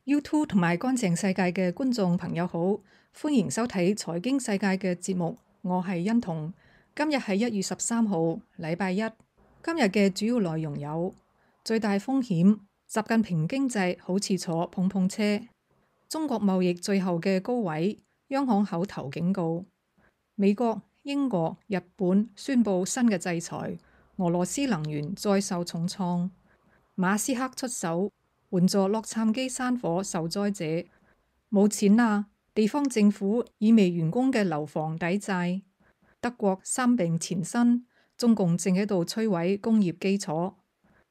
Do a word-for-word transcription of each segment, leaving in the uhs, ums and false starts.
YouTube 同埋乾淨世界嘅觀眾朋友好，歡迎收睇財經世界嘅節目，我係欣彤。今日係一月十三號，禮拜一。今日嘅主要內容有：最大風險，習近平經濟好似坐碰碰車；中國貿易最後嘅高位，央行口頭警告；美國、英國、日本宣布新嘅制裁，俄羅斯能源再受重創；馬斯克出手援助洛杉磯山火受災者，冇錢啊！地方政府以未完工嘅樓房抵債。德國三病纏身，中共正喺度摧毀工業基礎。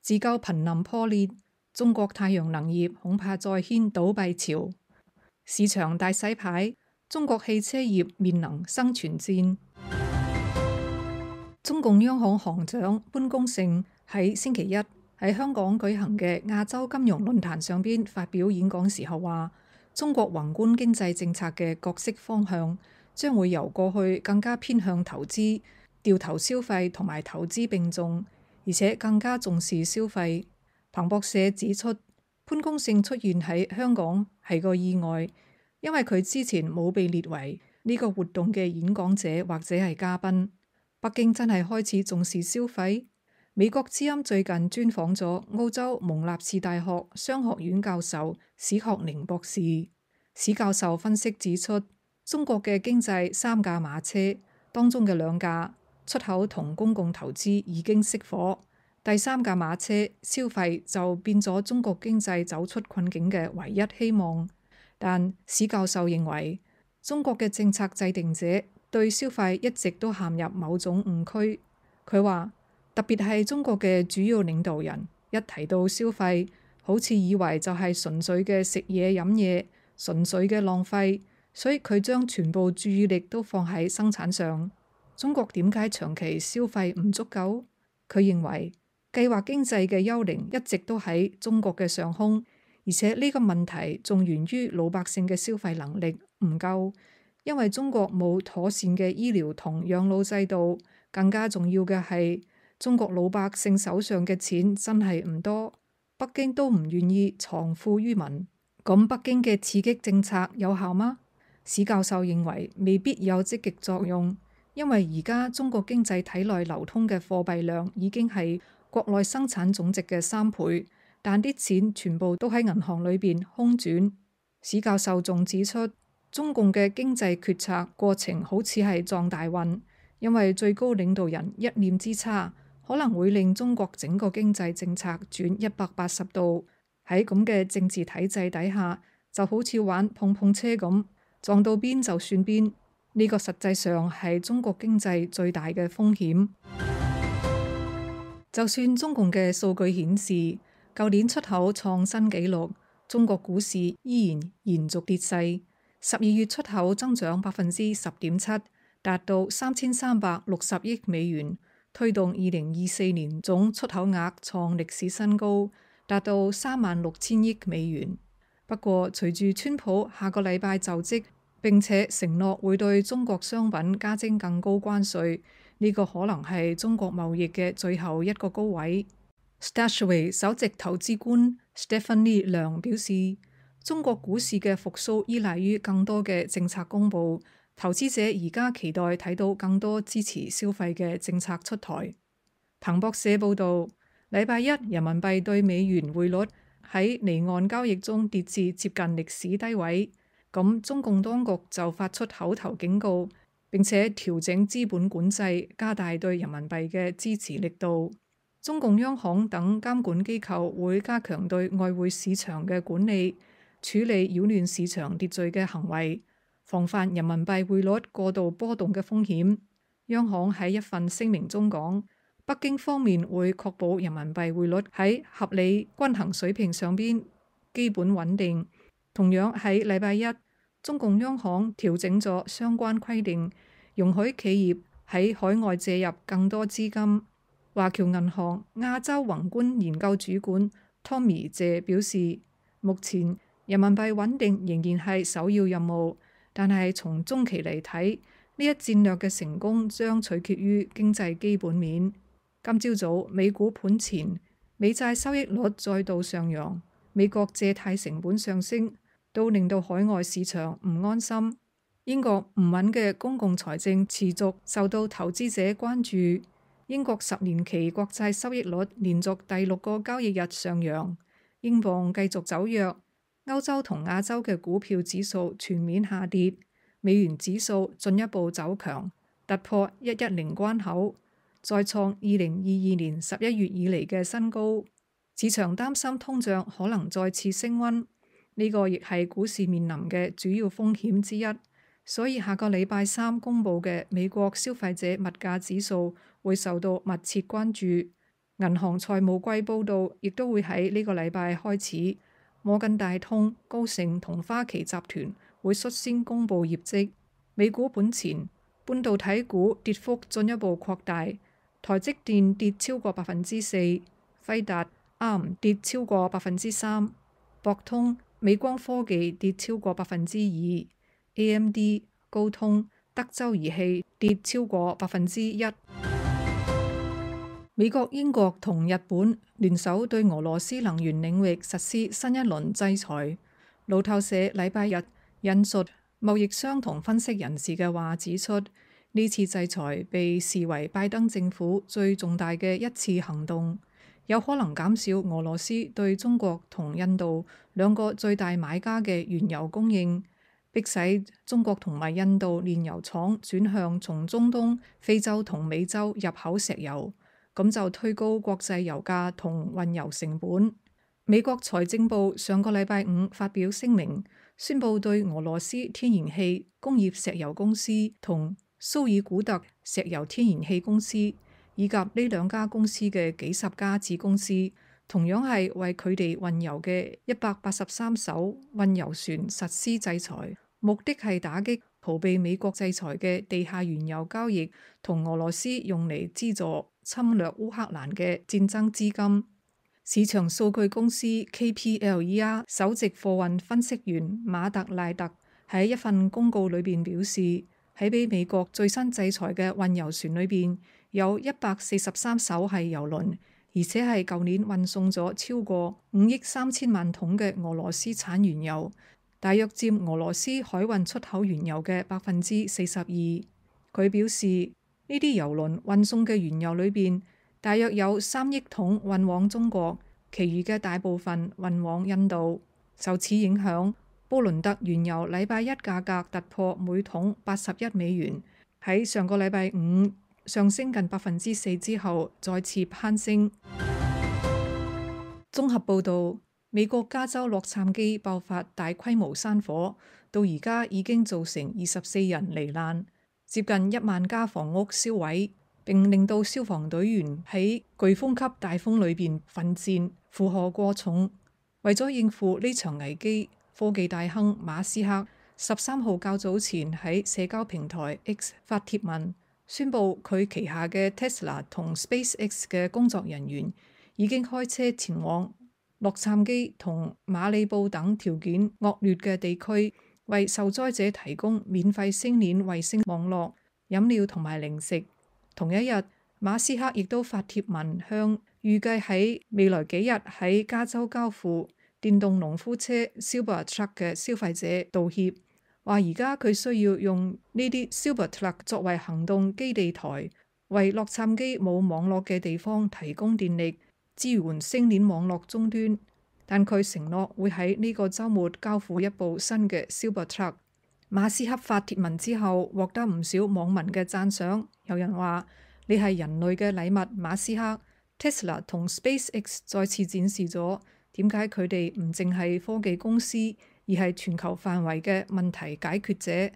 自救瀕臨破裂，中國太陽能業恐怕再掀倒閉潮。市場大洗牌，中國汽車業面臨生存戰。中共央行行長潘功勝喺星期一喺香港舉行嘅亞洲金融論壇上邊發表演講時候話，中國宏觀經濟政策嘅角色方向將會由過去更加偏向投資、掉頭消費同埋投資並重，而且更加重視消費。彭博社指出，潘功勝出現喺香港係個意外，因為佢之前冇被列為呢個活動嘅演講者或者係嘉賓。北京真係開始重視消費？美國之音最近專訪咗澳洲蒙納士大學商學院教授史學寧博士。史教授分析指出，中國嘅經濟三駕馬車當中嘅兩駕出口同公共投資已經熄火，第三駕馬車消費就變咗中國經濟走出困境嘅唯一希望。但史教授認為，中國嘅政策制定者對消費一直都陷入某種誤區。佢話，特別係中國嘅主要領導人一提到消費，好似以為就係純粹嘅食嘢飲嘢，純粹嘅浪費，所以佢將全部注意力都放喺生產上。中國點解長期消費唔足夠？佢認為計劃經濟嘅幽靈一直都喺中國嘅上空，而且呢個問題仲源於老百姓嘅消費能力唔夠，因為中國冇妥善嘅醫療同養老制度，更加重要嘅係，中國老百姓手上嘅錢真係唔多，北京都唔願意藏富於民。咁北京嘅刺激政策有效嗎？史教授認為未必有積極作用，因為而家中國經濟體內流通嘅貨幣量已經係國內生產總值嘅三倍，但啲錢全部都喺銀行裏邊空轉。史教授仲指出，中共嘅經濟決策過程好似係撞大運，因為最高領導人一念之差，可能會令中國整個經濟政策轉一百八十度。喺咁嘅政治體制底下，就好似玩碰碰車咁，撞到邊就算邊。呢個實際上係中國經濟最大嘅風險。就算中共嘅數據顯示，舊年出口創新紀錄，中國股市依然延續跌勢。十二月出口增長百分之十點七，達到三千三百六十億美元，推動二零二四年總出口額創歷史新高，達到三萬六千億美元。不過，隨住川普下個禮拜就職，並且承諾會對中國商品加徵更高關稅，呢、這個可能係中國貿易嘅最後一個高位。Stashaway 首席投資官 Stephanie 梁表示，中國股市嘅復甦依賴於更多嘅政策公布，投資者而家期待睇到更多支持消費嘅政策出台。彭博社報導，禮拜一人民幣對美元匯率喺離岸交易中跌至接近歷史低位，咁中共當局就發出口頭警告，並且調整資本管制，加大對人民幣嘅支持力度。中共央行等監管機構會加強對外匯市場嘅管理，處理擾亂市場秩序嘅行為，防範人民幣匯率過度波動嘅風險。央行喺一份聲明中講，北京方面會確保人民幣匯率喺合理均衡水平上邊基本穩定。同樣喺禮拜一，中共央行調整咗相關規定，容許企業喺海外借入更多資金。華僑銀行亞洲宏觀研究主管 Tommy 謝表示，目前人民幣穩定仍然係首要任務，但係從中期嚟睇，呢一戰略嘅成功將取決於經濟基本面。今朝早美股盤前，美債收益率再度上揚，美國借貸成本上升，都令到海外市場唔安心。英國唔穩嘅公共財政持續受到投資者關注。英國十年期國債收益率連續第六個交易日上揚，英鎊繼續走弱，歐洲同亞洲嘅股票指數全面下跌，美元指數進一步走強，突破一一零關口，再創二零二二年十一月以嚟嘅新高。市場擔心通脹可能再次升溫，呢個亦係股市面臨嘅主要風險之一。所以下個禮拜三公佈嘅美國消費者物價指數會受到密切關注。銀行財務季報導亦都會喺呢個禮拜開始。摩根大通、高盛同花旗集團會率先公佈業績。美股盤前，半導體股跌幅進一步擴大，台積電跌超過百分之四，輝達、A R M 跌超過百分之三，博通、美光科技跌超過百分之二。A M D、高通、德州儀器跌超過百分之一。美國、英國同日本聯手對俄羅斯能源領域實施新一輪制裁。路透社禮拜日引述貿易商同分析人士嘅話指出，呢次制裁被視為拜登政府最重大嘅一次行動，有可能減少俄羅斯對中國同印度兩個最大買家嘅原油供應，迫使中國同埋印度煉油廠轉向從中東、非洲同美洲入口石油，咁就推高國際油價同運油成本。美國財政部上個禮拜五發表聲明，宣布對俄羅斯天然氣工業石油公司同蘇爾古特石油天然氣公司以及呢兩家公司嘅幾十家子公司，同樣係為佢哋運油嘅一百八十三艘運油船實施制裁，目的係打擊逃避美國制裁嘅地下原油交易同俄羅斯用嚟資助侵略烏克蘭嘅戰爭資金。市場數據公司 K P L E R 首席貨運分析員馬特賴特喺一份公告裏邊表示，喺俾美國最新制裁嘅運油船裏邊，有一百四十三艘係油輪。而且係舊年運送咗超過五億三千萬桶嘅俄羅斯產原油，大約佔俄羅斯海運出口原油嘅百分之四十二。佢表示，呢啲油輪運送嘅原油裏邊，大約有三億桶運往中國，其餘嘅大部分運往印度。受此影響，布倫特原油禮拜一價格突破每桶八十一美元，喺上個禮拜五上升近百分之四之後，再次攀升。綜合報導，美國加州洛杉磯爆發大規模山火，到而家已經造成二十四人罹難，接近一萬家房屋燒毀，並令到消防隊員喺颶風級大風裏邊奮戰，負荷過重。為咗應付呢場危機，科技大亨馬斯克十三號較早前喺社交平台 X 發帖文，宣布佢旗下嘅 Tesla 同 SpaceX 嘅工作人員已經開車前往洛杉磯同馬里布等條件惡劣嘅地區，為受災者提供免費星鏈衛星網絡、飲料同埋零食。同一日，馬斯克亦都發帖文向預計喺未來幾日喺加州交付電動農夫車 Cybertruck 嘅消費者道歉，話而家佢需要用呢啲 Cybertruck 作為行動基地台，為洛杉磯冇網絡嘅地方提供電力，支援星鏈網絡終端。但佢承諾會喺呢個週末交付一部新嘅 Cybertruck。馬斯克發帖文之後，獲得唔少網民嘅讚賞。有人話：你係人類嘅禮物，馬斯克。Tesla 同 SpaceX 再次展示咗點解佢哋唔淨係科技公司，而係全球範圍嘅問題解決者。《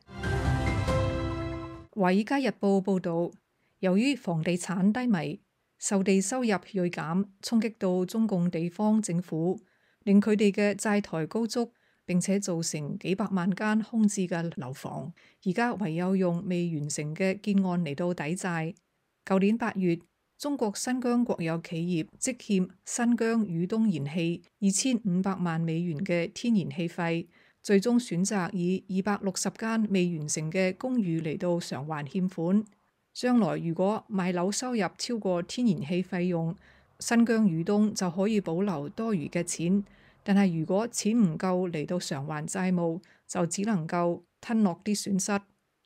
華爾街日報》報導，由於房地產低迷，售地收入銳減，衝擊到中共地方政府，令佢哋嘅債台高築，並且造成幾百萬間空置嘅樓房，而家唯有用未完成嘅建案嚟到抵債。舊年八月，中國新疆國有企業積欠新疆宇東燃氣二千五百萬美元嘅天然氣費，最終選擇以二百六十間未完成嘅公寓嚟到償還欠款。將來如果賣樓收入超過天然氣費用，新疆宇東就可以保留多餘嘅錢，但係如果錢唔夠嚟到償還債務，就只能夠吞落啲損失。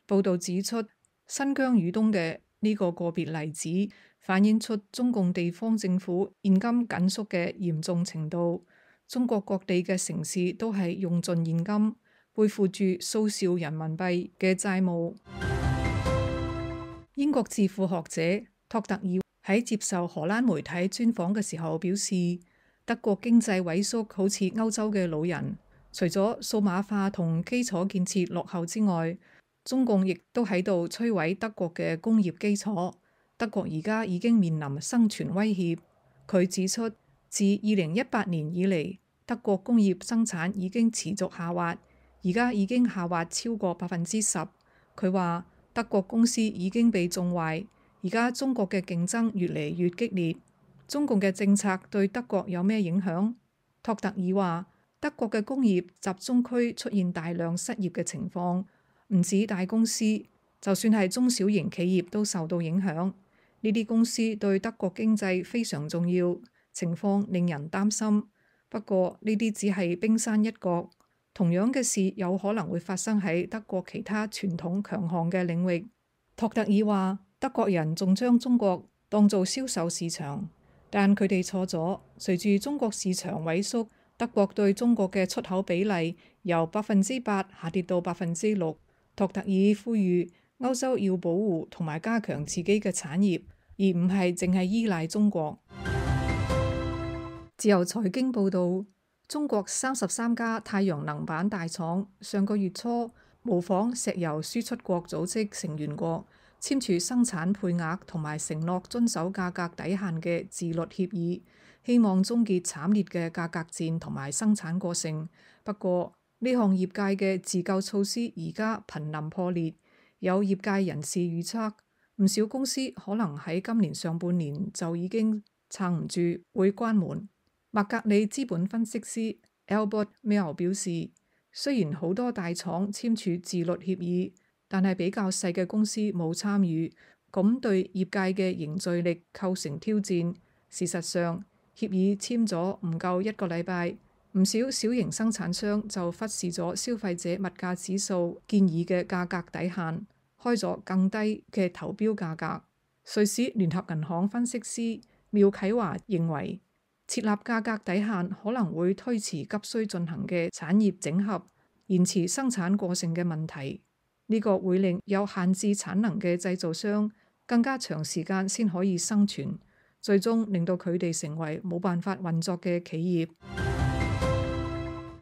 報導指出，新疆以東嘅呢個個別例子反映出中共地方政府現金緊縮嘅嚴重程度。中國各地嘅城市都係用盡現金，背負住數兆人民幣嘅債務。英國智庫學者托特爾喺接受荷蘭媒體專訪嘅時候表示，德國經濟萎縮好似歐洲嘅老人，除咗數碼化同基礎建設落後之外，中共亦都喺度摧毀德國嘅工業基礎。德國而家已經面臨生存威脅。佢指出，自二零一八年以嚟，德國工業生產已經持續下滑，而家已經下滑超過百分之十。佢話德國公司已經被縱壞，而家中國嘅競爭越嚟越激烈。中共嘅政策對德國有咩影響？托特爾話，德國嘅工業集中區出現大量失業嘅情況，唔止大公司，就算係中小型企業都受到影響。呢啲公司對德國經濟非常重要，情況令人擔心。不過呢啲只係冰山一角，同樣嘅事有可能會發生喺德國其他傳統強項嘅領域。托特爾話，德國人仲將中國當做銷售市場，但佢哋錯咗。隨住中國市場萎縮，德國對中國嘅出口比例由百分之八下跌到百分之六。托特爾呼籲歐洲要保護同埋加強自己嘅產業，而唔係淨係依賴中國。自由財經報導，中國三十三家太陽能板大廠上個月初模仿石油輸出國組織成員國簽署生產配額同埋承諾遵守價格底線嘅自律協議，希望終結慘烈嘅價格戰同埋生產過剩。不過呢項業界嘅自救措施而家瀕臨破裂，有業界人士預測，唔少公司可能喺今年上半年就已經撐唔住，會關門。麥格里資本分析師 Albert Mill 表示，雖然好多大廠簽署自律協議，但係比較細嘅公司冇參與，咁對業界嘅凝聚力構成挑戰。事實上，協議簽咗唔夠一個禮拜，唔少小型生產商就忽視咗消費者物價指數建議嘅價格底線，開咗更低嘅投標價格。瑞士聯合銀行分析師廖啟華認為，設立價格底線可能會推遲急需進行嘅產業整合，延遲生產過剩嘅問題。呢個會令有限制產能嘅製造商更加長時間先可以生存，最終令到佢哋成為冇辦法運作嘅企業。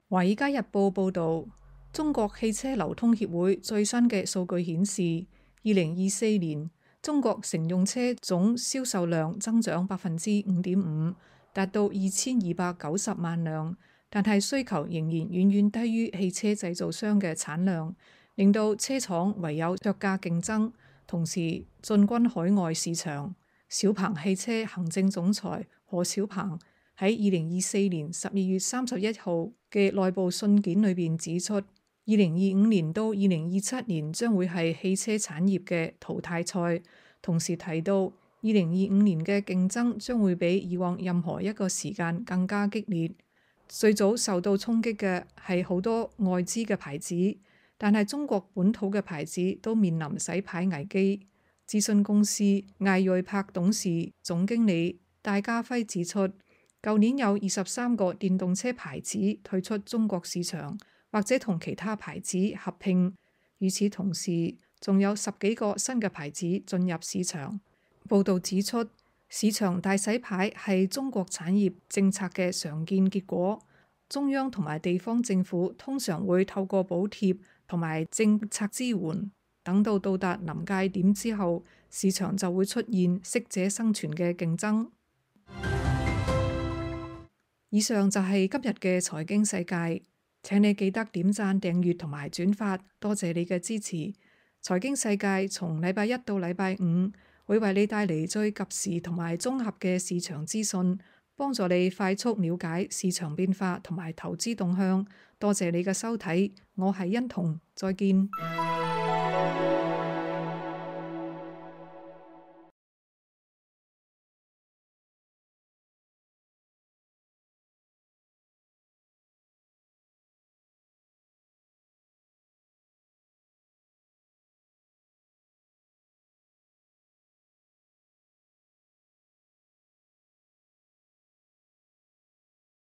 華爾街日報報導，中國汽車流通協會最新嘅數據顯示，二零二四年中國乘用車總銷售量增長百分之五點五，達到二千二百九十萬輛，但係需求仍然遠遠低於汽車製造商嘅產量，令到車廠唯有削價競爭，同時進軍海外市場。小鵬汽車行政總裁何小鵬喺二零二四年十二月三十一號嘅內部信件裏邊指出，二零二五年到二零二七年將會係汽車產業嘅淘汰賽，同時提到二零二五年嘅競爭將會比以往任何一個時間更加激烈。最早受到衝擊嘅係好多外資嘅牌子，但係中國本土嘅牌子都面臨洗牌危機。諮詢公司艾瑞柏董事總經理戴家輝指出，舊年有二十三個電動車牌子退出中國市場，或者同其他牌子合併。與此同時，仲有十幾個新嘅牌子進入市場。報導指出，市場大洗牌係中國產業政策嘅常見結果。中央同埋地方政府通常會透過補貼同埋政策支援，等到到達臨界點之後，市場就會出現適者生存嘅競爭。以上就係今日嘅財經世界，請你記得點讚、訂閱同埋轉發，多謝你嘅支持。財經世界從禮拜一到禮拜五會為你帶嚟最及時同埋綜合嘅市場資訊，幫助你快速了解市場變化同埋投資動向。多謝你嘅收睇，我係欣彤，再見。